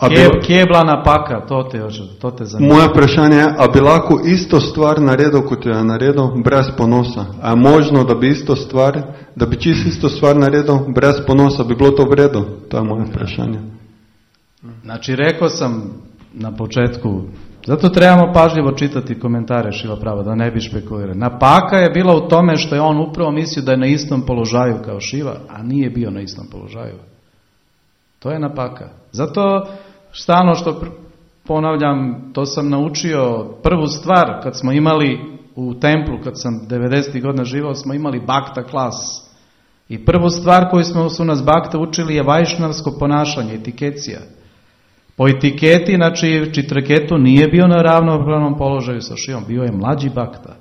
Kje, kje je bila napaka? To te, to te zanima. Moje vprašanje je, a bi lahko isto stvar naredil, kot jo je naredil, brez ponosa? A je možno, da bi isto stvar, da bi čisto isto stvar naredil, brez ponosa, bi bilo to v redu? To je moje vprašanje. Znači, rekao sam na početku, zato trebamo pažljivo čitati komentare Šrila Prabhupada, da ne bi špekulirali. Napaka je bila u tome što je on upravo mislio da je na istom položaju kao Šiva, a nije bio na istom položaju. To je napaka. Zato stalno što ponavljam, to sam naučio prvu stvar kad smo imali u templu, kad sam devedesetih godina živao, smo imali bakta klas. I prvu stvar koju smo su nas bakta učili je vajšnavsko ponašanje, etikecija. Po etiketi, znači Čitraketu nije bio na ravnopravnom položaju sa Šivom, bio je mlađi bakta.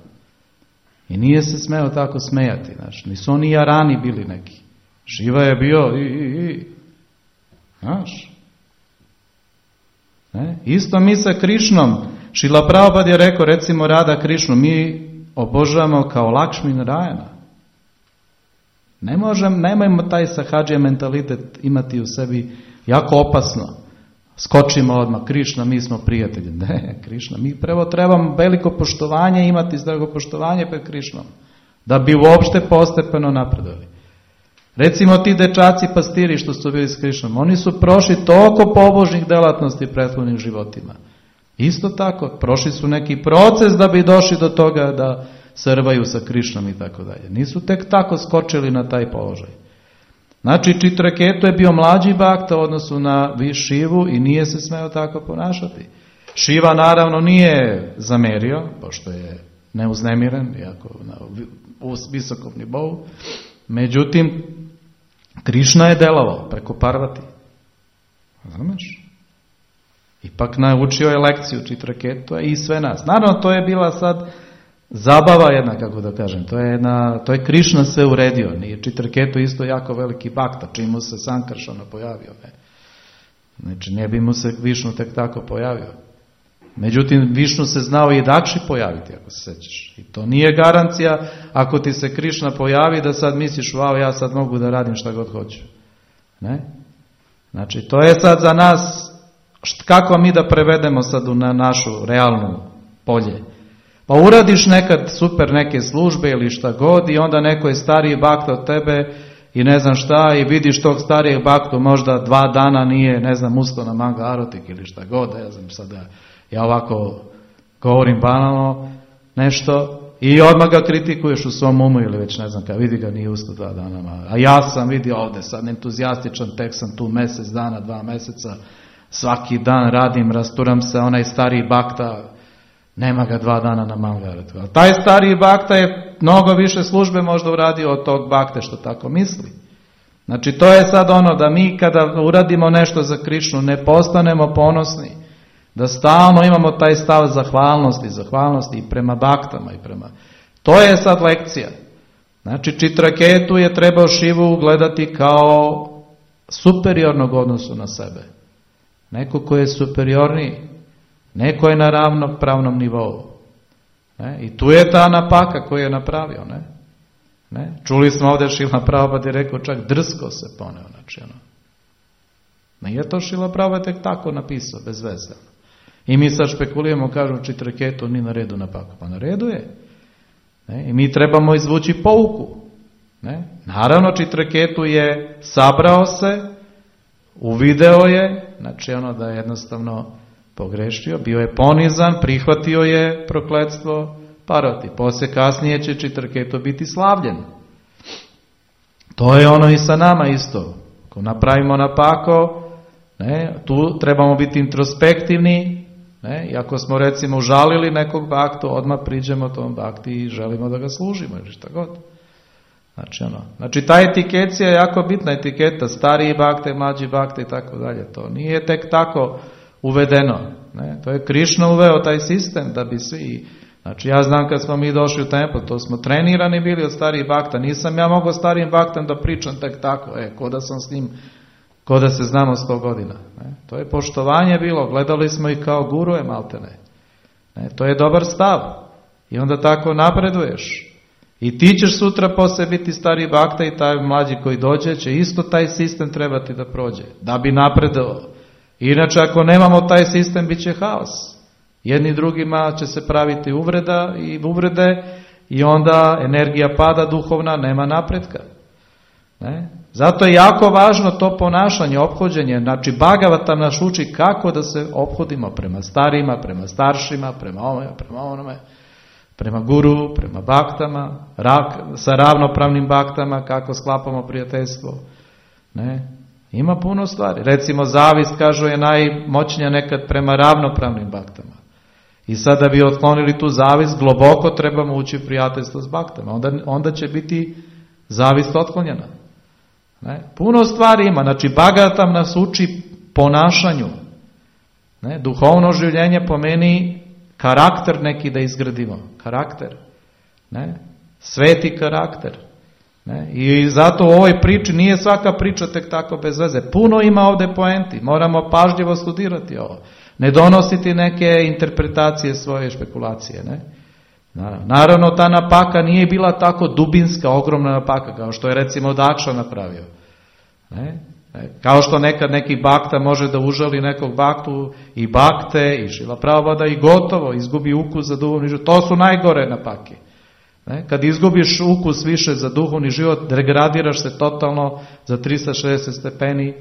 I nije se smeo tako smejati, znači nisu oni jarani bili neki. Šiva je bio i, i, i. Znaš? Ne? Isto mi sa Krišnom. Šrila Prabhupada je rekao, recimo Rada Krišnu, mi obožavamo kao Lakšmi Narajana. Ne možem, nemojmo taj sahadžija mentalitet imati u sebi, jako opasno. Skočimo odmah, Krišna, mi smo prijatelji. Ne, Krišna, mi prvo trebamo veliko poštovanje, imati zdrago poštovanje pred Krišnom, da bi uopšte postepeno napredovali. Recimo ti dečaci pastiri što su bili s Krišnom, oni su prošli toliko pobožnih delatnosti prethodnim životima. Isto tako, prošli su neki proces da bi došli do toga da srvaju sa Krišnom i tako dalje. Nisu tek tako skočili na taj položaj. Znači, Čitraketu je bio mlađi bakta u odnosu na Šivu i nije se smeo tako ponašati. Šiva naravno nije zamerio, pošto je neuznemiren, iako na visokom nivou. Međutim, Krišna je delovao preko Parvati. Znameš? Ipak naučio je lekciju Čitraketu i sve nas. Naravno, to je bila sad zabava jedna, kako da kažem. To je, jedna, to je Krišna sve uredio. Nije Čitraketu isto jako veliki bakta, čim mu se Sankaršana pojavio. Ne? Znači, ne bi mu se Višnu tek tako pojavio. Međutim, Višnu se znao i Dakši pojaviti, ako se sećaš. I to nije garancija, ako ti se Krišna pojavi, da sad misliš, wow, ja sad mogu da radim šta god hoću. Ne? Znači, to je sad za nas, kako mi da prevedemo sad na našu realnu polje. Pa uradiš nekad super neke službe ili šta god i onda neko je stariji bakta od tebe i ne znam šta i vidiš tog starijeg baktu možda dva dana nije, ne znam, ustao na manga arotik ili šta god, ne znam sada, ja ovako govorim banalno nešto i odmah ga kritikuješ u svom umu ili već ne znam kada, vidi ga nije ustao dva dana, a ja sam vidio ovde sad entuzijastičan, tek sam tu mjesec dana, dva meseca, svaki dan radim, rasturam se, onaj stariji bakta, nema ga dva dana na mangaretu. Ali taj stariji bakta je mnogo više službe možda uradio od tog bakte što tako misli. Znači to je sad ono da mi kada uradimo nešto za Krišnu ne postanemo ponosni, da stalno imamo taj stav zahvalnosti, zahvalnosti i prema baktama i prema... To je sad lekcija. Znači Čitraketu je trebao Šivu gledati kao superiornog odnosu na sebe. Neko ko je superiorniji. Neko je na ravnopravnom nivou. Ne? I tu je ta napaka koju je napravio. Ne? Ne? Čuli smo ovdje Šila Prabhupada je rekao čak drsko se poneo. Znači, ono. Nije to Šila Prabhupada tek tako napisao, bez veze. I mi sad špekulujemo, kažemo Čitraketu ni na redu napaka. Pa na redu je. Ne? I mi trebamo izvući pouku. Ne? Naravno Čitraketu je sabrao se, uvideo je, znači ono da je jednostavno pogrešio, bio je ponizan, prihvatio je prokletstvo Parvati. Poslije kasnije će Čitraketu biti slavljen. To je ono i sa nama isto. Ako napravimo napako, ne, tu trebamo biti introspektivni, ne, i ako smo recimo užalili nekog baktu, odmah priđemo tom bakti i želimo da ga služimo ili šta god. Znači, ono, znači ta etikecija je jako bitna etiketa, stariji bakte, mlađi bakte i tako dalje. To nije tek tako uvedeno. Ne? To je Krišna uveo taj sistem da bi svi... Znači ja znam kad smo mi došli u templ, to smo trenirani bili od starijih bakta. Nisam ja mogao starijim baktam da pričam tek tako, e, ko da sam s njim, ko da se znamo sto godina. Ne? To je poštovanje bilo, gledali smo ih kao guruje maltene. Ne? To je dobar stav. I onda tako napreduješ. I ti ćeš sutra poslije biti stariji bakta i taj mlađi koji dođe će isto taj sistem trebati da prođe. Da bi napredovao. Inače, ako nemamo taj sistem, bit će haos. Jedni drugima će se praviti uvreda i uvrede i onda energija pada duhovna, nema napretka. Ne? Zato je jako važno to ponašanje, ophođenje. Znači, Bhagavatam nas uči kako da se ophodimo prema starima, prema staršima, prema ovome, prema onome, prema guru, prema baktama, rak, sa ravnopravnim baktama, kako sklapamo prijateljstvo. Ne? Ima puno stvari. Recimo, zavist, kažu, je najmoćnija nekad prema ravnopravnim baktama. I sad da bi otklonili tu zavist, globoko trebamo ući u prijateljstvo s baktama. Onda, onda će biti zavist otklonjena. Ne? Puno stvari ima. Znači, Bhagavatam nas uči ponašanju. Ne? Duhovno življenje pomeni karakter neki da izgradimo. Karakter. Ne? Sveti karakter. Ne? I zato u ovoj priči nije svaka priča tek tako bez veze. Puno ima ovdje poenti. Moramo pažljivo studirati ovo. Ne donositi neke interpretacije svoje špekulacije. Ne? Naravno, ta napaka nije bila tako dubinska, ogromna napaka, kao što je recimo Dakša napravio. Ne? Kao što nekad neki bakta može da užali nekog baktu i bakte i Šila Prabhupada i gotovo, izgubi ukus za duhovni život. To su najgore napake. Ne? Kad izgubiš ukus više za duhovni život, degradiraš se totalno za tristo šezdeset stepeni.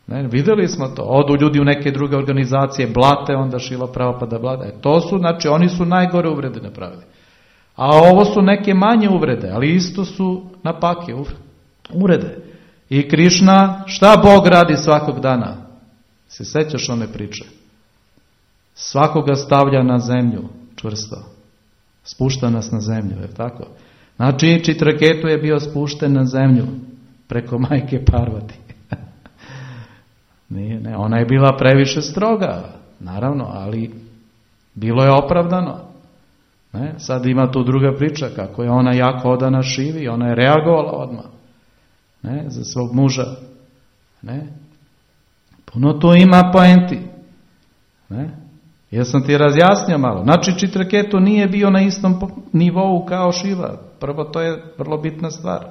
Ne? Vidjeli smo to. Odu ljudi u neke druge organizacije, blate, onda Šrila Prabhupada blate. E, to su, znači, oni su najgore uvrede napravili. A ovo su neke manje uvrede, ali isto su napake, uvrede. I Krišna, šta Bog radi svakog dana? Se sećaš one priče? Svakoga stavlja na zemlju, čvrsto. Spušta nas na zemlju, je tako? Znači, Čitraketu je bio spušten na zemlju preko majke Parvati. Nije, ne, ona je bila previše stroga, naravno, ali bilo je opravdano. Ne? Sad ima tu druga priča, kako je ona jako odana Šivi, ona je reagovala odmah, ne? Za svog muža. Ne? Puno tu ima poenti. Ne? Ja sam ti razjasnio malo. Znači, Čitraketu nije bio na istom nivou kao Šiva. Prvo, to je vrlo bitna stvar.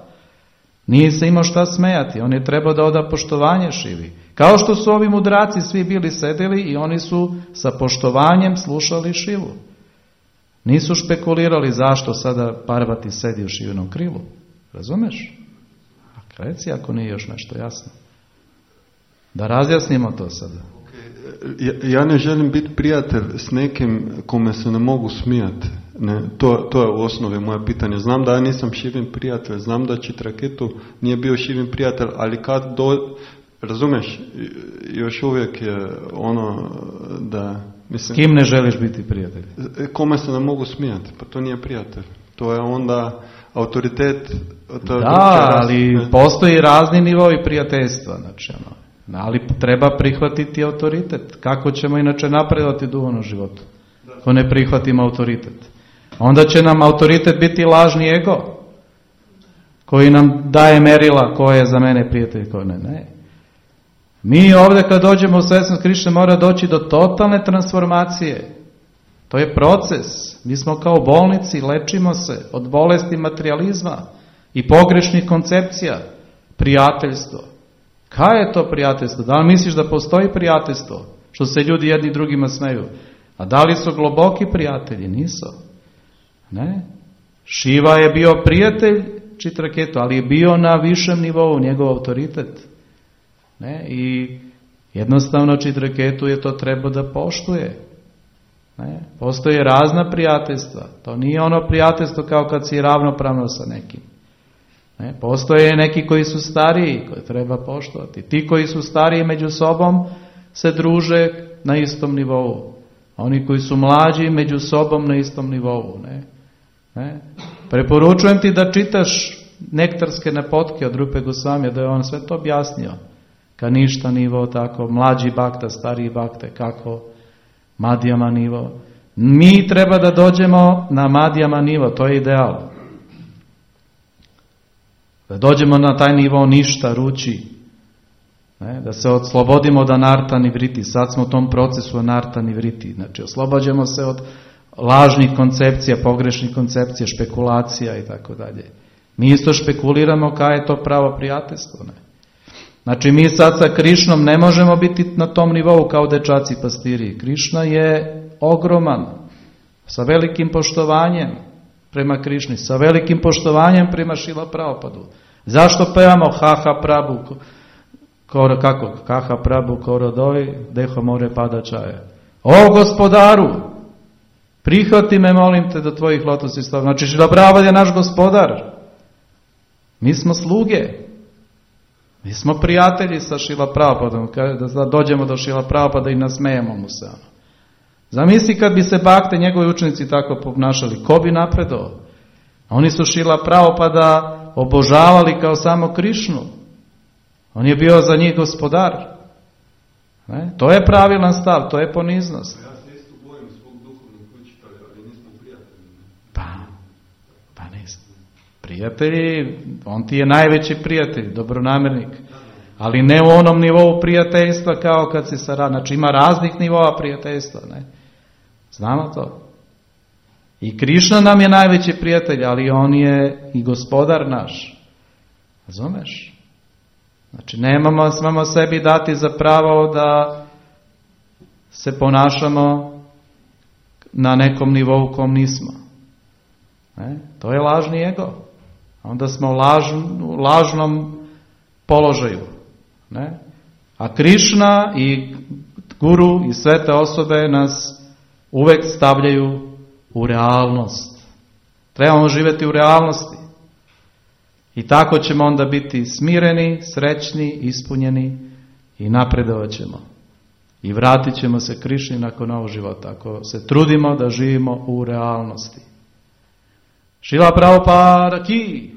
Nije se imao šta smejati. On je trebao da oda poštovanje Šivi. Kao što su ovi mudraci svi bili sedeli i oni su sa poštovanjem slušali Šivu. Nisu špekulirali zašto sada Parvati sedi u Šivinom krilu. Razumeš? A reci ako nije još nešto jasno. Da razjasnimo to sada. Ja, ja ne želim biti prijatelj s nekim kome se ne mogu smijati. Ne, to, to je u osnovi moje pitanje. Znam da ja nisam Šivin prijatelj, znam da Čitraketu nije bio Šivin prijatelj, ali kad do... Razumeš, još uvijek je ono da... Mislim, s kim ne želiš biti prijatelj? Kome se ne mogu smijati, pa to nije prijatelj. To je onda autoritet... To da, ali raz... postoji razni nivoi prijateljstva, znači ono. Ali treba prihvatiti autoritet. Kako ćemo inače napredovati u duhovnom životu? Ako ne prihvatimo autoritet. Onda će nam autoritet biti lažni ego, koji nam daje merila ko je za mene prijatelj, ko ne. Ne. Mi ovdje kad dođemo u svjesnost Krišne mora doći do totalne transformacije. To je proces. Mi smo kao bolnici, lečimo se od bolesti materijalizma i pogrešnih koncepcija. Prijateljstvo. Kaj je to prijateljstvo? Da li misliš da postoji prijateljstvo? Što se ljudi jedni drugima smeju. A da li su globoki prijatelji? Nisu. Ne? Šiva je bio prijatelj Čitraketu, ali je bio na višem nivou, njegov autoritet. Ne? I jednostavno Čitraketu je to treba da poštuje. Ne? Postoje razna prijateljstva. To nije ono prijateljstvo kao kad si ravnopravno sa nekim. Ne? Postoje neki koji su stariji, koje treba poštovati. Ti koji su stariji među sobom se druže na istom nivou. Oni koji su mlađi među sobom na istom nivou. Ne? Ne? Preporučujem ti da čitaš nektarske napotke od Rupe Gosvamija, da je on sve to objasnio. Kaništa nivo, tako, mlađi bakta, stariji bakte, kako, Madhyama nivo. Mi treba da dođemo na Madhyama nivo, to je ideal. Da dođemo na taj nivo ništa, ruči. Ne? Da se oslobodimo od anarta nivriti. Sad smo u tom procesu anarta nivriti. Znači, oslobađamo se od lažnih koncepcija, pogrešnih koncepcija, špekulacija i tako dalje. Mi isto špekuliramo kaj je to pravo prijateljstvo. Ne? Znači, mi sad sa Krišnom ne možemo biti na tom nivou kao dečaci pastiri. Krišna je ogroman, sa velikim poštovanjem prema Krišni, sa velikim poštovanjem prema Šrila Prabhupadu. Zašto pevamo Haha Prabhu, koro, kako? Haha Prabhu korodoj, deho more pada čaje. O gospodaru, prihvati me, molim te, do tvojih lotosnih stava. Znači, Šrila Prabhupada je naš gospodar. Mi smo sluge. Mi smo prijatelji sa Šrila Prabhupadom. Da dođemo do Šrila Prabhupada i nasmejemo mu se. Zamisli kad bi se bakte, njegovi učenici tako ponašali. Ko bi napredao? Oni su Šrila Prabhupada obožavali kao samo Krišnu. On je bio za njih gospodar. Ne? To je pravilan stav, to je poniznost. Ja se isto bojim svog duhovnog učitelja, ali nismo prijatelji. Pa, pa nismo. Prijatelji, on ti je najveći prijatelj, dobronamernik. Ali ne u onom nivou prijateljstva kao kad si sa... Znači ima raznih nivoa prijateljstva. Ne? Znamo to. I Krišna nam je najveći prijatelj, ali on je i gospodar naš. Razumeš? Znači nemamo smemo sebi dati za pravo da se ponašamo na nekom nivou kom nismo. Ne? To je lažni ego. Onda smo u, laž, u lažnom položaju. Ne? A Krišna i guru i sve te osobe nas uvek stavljaju u realnost. Trebamo živjeti u realnosti. I tako ćemo onda biti smireni, srećni, ispunjeni i napredovat ćemo. I vratit ćemo se Krišni nakon ovog života, ako se trudimo da živimo u realnosti. Šrila Prabhupada ki!